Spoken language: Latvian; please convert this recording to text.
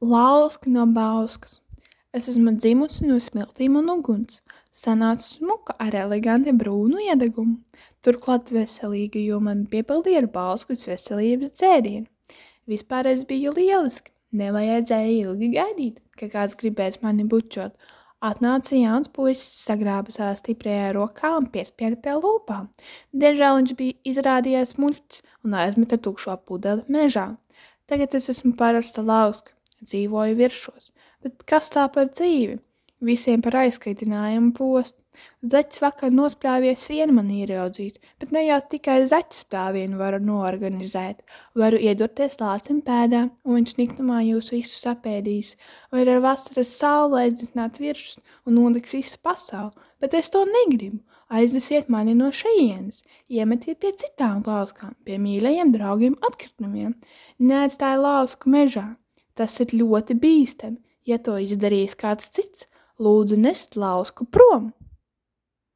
Lauska no bauskas. Es esmu dzimusi no smiltīm un uguns. Sanāca smuka ar eleganti brūnu iedegumu. Turklāt veselīga, jo man piepildīja ar bauskas veselības dzērienu. Vispār es biju lieliski. Nevajadzēja ilgi gaidīt, ka kāds gribēs mani bučot. Atnāca jauns puisis, sagrāba savā stiprajā rokā un piespieda pie lūpām. Diemžēl viņš bija izrādījies muļķis un aizmeta tukšo pudeli mežā. Tagad es esmu parasta lauska, dzīvoju viršos, bet kas tā par dzīvi? Visiem par aizskaitinājumu postu. Zaķis vakar nospļāvies vienu man ieraudzīt, bet ne jau tikai zaķa spļāvienu varu noorganizēt. Varu iedurties lācim pēdā, un viņš niknumā jūs visus apēdīs. Vai ar vasaras saulu aizdzināt virsus un noliks visu pasauli, bet es to negribu. Aiznesiet mani no šejienes, iemetiet pie citām lauskām, pie mīļajiem draugiem atkritumiem. Neatstāj lausku mežā. Tas ir ļoti bīstami, ja to izdarīs kāds cits. Lūdzu nest lausku prom!